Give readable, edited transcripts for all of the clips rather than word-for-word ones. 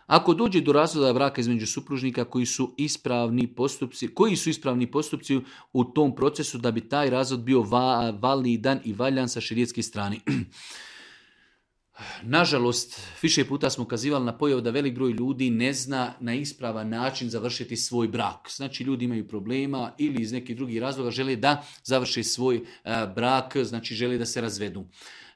Ako dođe do razvoda braka između supružnika koji su ispravni postupci u tom procesu da bi taj razvod bio validan i valjan sa šerijatske strane. Nažalost, više puta smo ukazivali na pojavu da velik broj ljudi ne zna na ispravan način završiti svoj brak. Znači, ljudi imaju problema ili iz nekih drugih razloga žele da završe svoj brak, znači žele da se razvedu.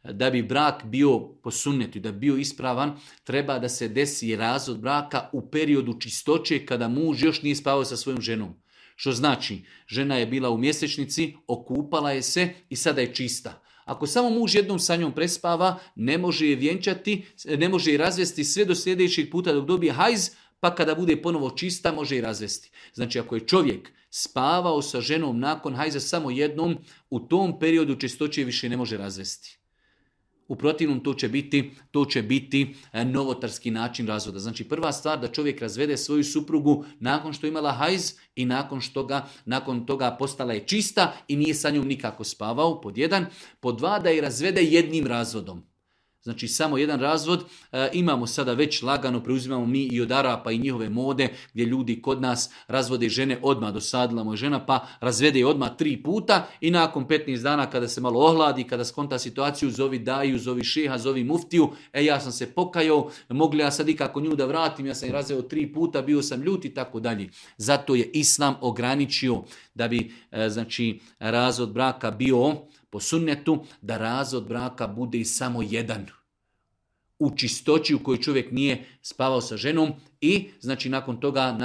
Da bi brak bio po sunnetu, da bi bio ispravan, treba da se desi razvod braka u periodu čistoće kada muž još nije spavao sa svojom ženom. Što znači, žena je bila u mjesečnici, okupala je se i sada je čista. Ako samo muž jednom sa njom prespava, ne može je vjenčati, ne može je razvesti sve do sljedećeg puta dok dobije hajz, pa kada bude ponovo čista, može je razvesti. Znači, ako je čovjek spavao sa ženom nakon hajza samo jednom, u tom periodu čistoće više ne može razvesti. U protivnom to će biti novotarski način razvoda. Znači, prva stvar da čovjek razvede svoju suprugu nakon što je imala hajz i nakon toga postala je čista i nije sa njom nikako spavao, pod 1. Pod 2, da je razvede jednim razvodom. Znači, samo jedan razvod. Imamo sada već lagano, preuzimamo mi i od Arapa i njihove mode, gdje ljudi kod nas razvode žene odmah, dosadila mu je žena, pa razvede je odmah 3 puta i nakon 15 dana kada se malo ohladi, kada skonta situaciju, zovi daju, zovi šeha, zovi muftiju, ja sam se pokajao, mogu li ja sad ikako nju da vratim, ja sam je razveo 3 puta, bio sam ljut i tako dalje. Zato je Islam ograničio da bi razvod braka bio po sunnetu, da razvod braka bude i samo jedan. U čistoći u kojoj čovjek nije spavao sa ženom i znači nakon toga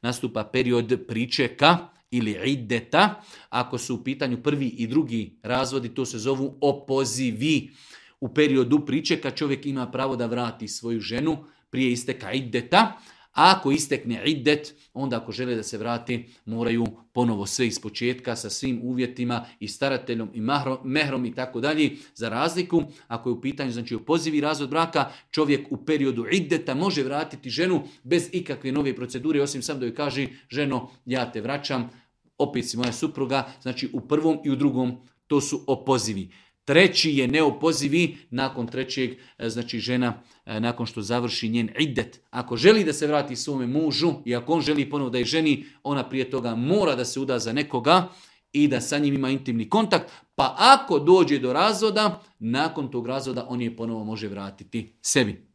nastupa period pričeka ili iddeta. Ako su u pitanju prvi i drugi razvodi, to se zovu opozivi. U periodu pričeka čovjek ima pravo da vrati svoju ženu prije isteka iddeta. A ako istekne iddet, onda ako žele da se vrati, moraju ponovo sve ispočetka sa svim uvjetima i starateljom i mehrom i tako dalje. Za razliku, ako je u pitanju opozivi razvod braka, čovjek u periodu iddeta može vratiti ženu bez ikakve nove procedure, osim sam da joj kaže, ženo, ja te vraćam, opet si moja supruga. Znači u prvom i u drugom to su opozivi. Treći je neopozivi, nakon trećeg, znači žena, nakon što završi njen iddet, ako želi da se vrati svome mužu i ako on želi ponovo da je ženi, ona prije toga mora da se uda za nekoga i da sa njim ima intimni kontakt, pa ako dođe do razvoda, nakon tog razvoda on je ponovo može vratiti sebi.